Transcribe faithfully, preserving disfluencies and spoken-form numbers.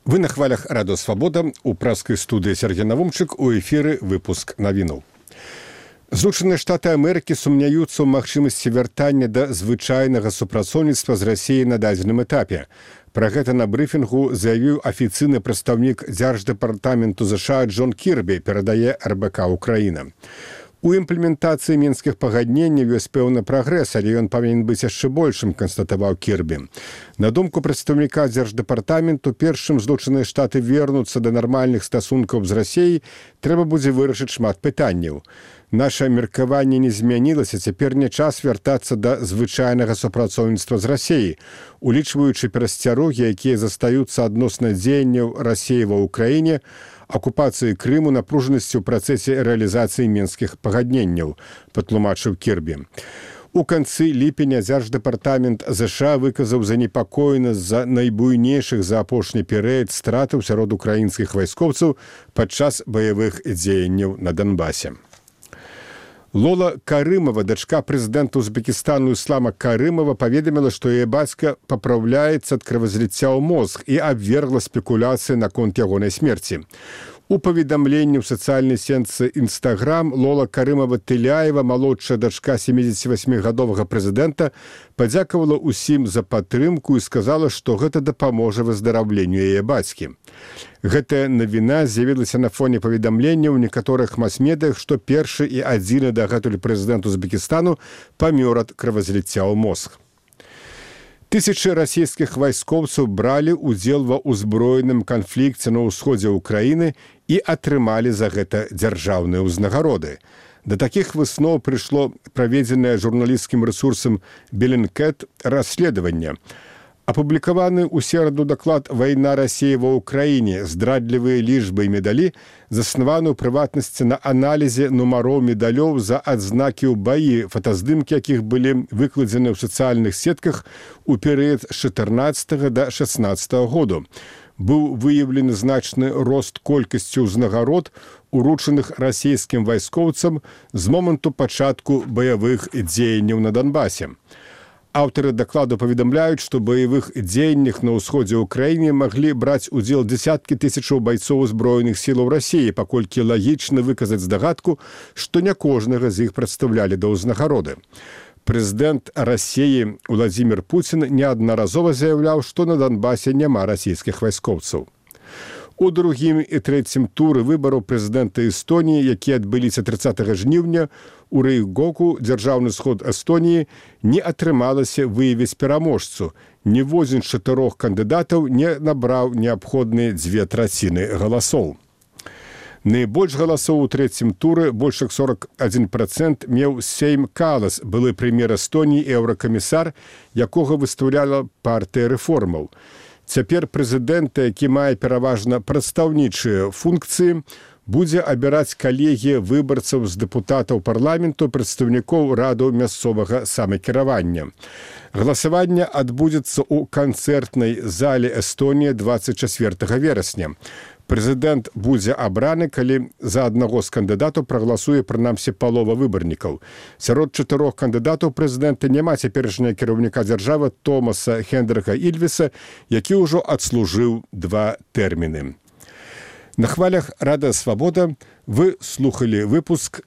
Вы на хвалях Радио Свобода, у праскай студыі Сергей Навумчык, у эфіры выпуск навінаў. Злучаныя Штаты Амерыкі сумняюцца ў магчымасці вяртання да звычайнага супрацоўніцтва з Расіяй на дадзеным этапе. Пра гэта на брыфінгу заявіў афіцыйны прадстаўнік Дзярждэпартаменту ЗША Джон Кірбі, перадае эр бэ ка Украіна. У імплементацыі мінскіх пагадненняў ёсць пэўны прагрэс, але ён павінен быць яшчэ большым, канстатаваў Кірбі. На думку прадстаўніка Дзярждэпартаменту, першым Злучаныя Штаты вернуцца да нармальных стасункаў з Расіяй, трэба будзе вырашыць шмат пытанняў. Наша меркаванне не змянілася, цяпер не час вяртацца да звычайнага супрацоўніцтва з Расіяй, улічваючы перасцярогі, якія застаюцца адносна дзеянняў Расіі ва ўкраіне, акупацыі Крыму, напружанасці ў працэсе рэалізацыі мінскіх пагадненняў, патлумачыў Кірбі. У канцы ліпеня Дзярждэпартамент ЗША выказаў занепакоенасць з-за найбуйнейшых за апошні перыяд стратаў сярод украінскіх вайскоўцаў падчас баявых дзеянняў на Донбасе. Лола Карымова, дачка прэзідэнта Узбекістану Іслама Карымова, паведаміла, што яе бацька папраўляецца ад кровазліцця ў мозг і абвергла спекуляцыі наконт ягонай смерці. У паведамленні ў сацыяльнай сетцы Інстаграм Лола Карымова-Тыляева, малодшая дачка сямідзесяцівасьмігадовага прэзідэнта, падзякавала ўсім за падтрымку і сказала, што гэта дапаможа выздараўленню яе бацькі. Гэтая навіна з'явілася на фоне паведамлення ў некаторых мас-медыях, што першы і адзіны дагэтуль прэзідэнт Узбекістану памёр ад кровазліцця ў мозг. Тысячы расійскіх вайскоўцаў бралі ўдзел ва ўзброеным канфлікце на ўсходзе ўкраіны і атрымалі за гэта дзяржаўныя ўзнагароды. Да такіх высноў прыйшло праведзенае журналісцкім рэсурсам Белінкет расследаванне. Апублікаваны ў сераду даклад «Вайна Расіі ва ўкраіне. Здрадлівыя лічбы і медалі» заснаваны ў прыватнасці на аналізе нумароў медалёў за адзнакі ў баі, фотаздымкі якіх былі выкладзены ў сацыяльных сетках у перыяд з чатырнаццатага да шаснаццатага году. Быў выяўлены значны рост колькасці ўзнагарод, уручаных расійскім вайскоўцам з моманту пачатку баявых дзеянняў на Донбасе. Аўтары дакладу паведамляюць, што баявых дзеяннях на ўсходзе ўкраіны маглі браць удзел дзесяткі тысячаў байцоў узброеных сілаў Расіі, паколькі лагічна выказаць здагадку, што не кожнага з іх прадстаўлялі да ўзнагароды. Прэзідэнт Расіі Владзімір Пуцін неаднаразова заяўляў, што на Донбасе няма расійскіх вайскоўцаў. У другім і трэцім туры выбараў прэзідэнта Эстоніі, якія адбыліся трыццатага жніўня, у Рейгоку, дзяржаўны сход Эстоніі, не атрымалася выявіць пераможцу. Ніводзін з чатырох кандыдатаў не набраў неабходныя дзве траціны галасоў. Найбольш галасоў у трэцім туры, больш як сорок адзін працэнт, меў Сейм Калас, былы прэм'ер Эстоніі і еўракамісар, якога выстаўляла партыя рэформаў. Цяпер прэзідэнта, які мае пераважна прадстаўнічыя функцыі, будзе абіраць калегія выбарцаў з дэпутатаў парламенту, прадстаўнікоў радаў мясцовага самакіравання. Галасаванне адбудзецца ў канцэртнай зале Эстонія дваццаць чацвёртага верасня. Прэзідэнт будзе абраны, калі за аднаго з кандыдатаў прагаласуе прынамсі палова выбарнікаў. Сярод чатырох кандыдатаў прэзідэнта няма цяперашняга кіраўніка дзяржавы Томаса Хендрыха Ільвеса, які ўжо адслужыў два тэрміны. На хвалях Радыё Свабода вы слухалі выпуск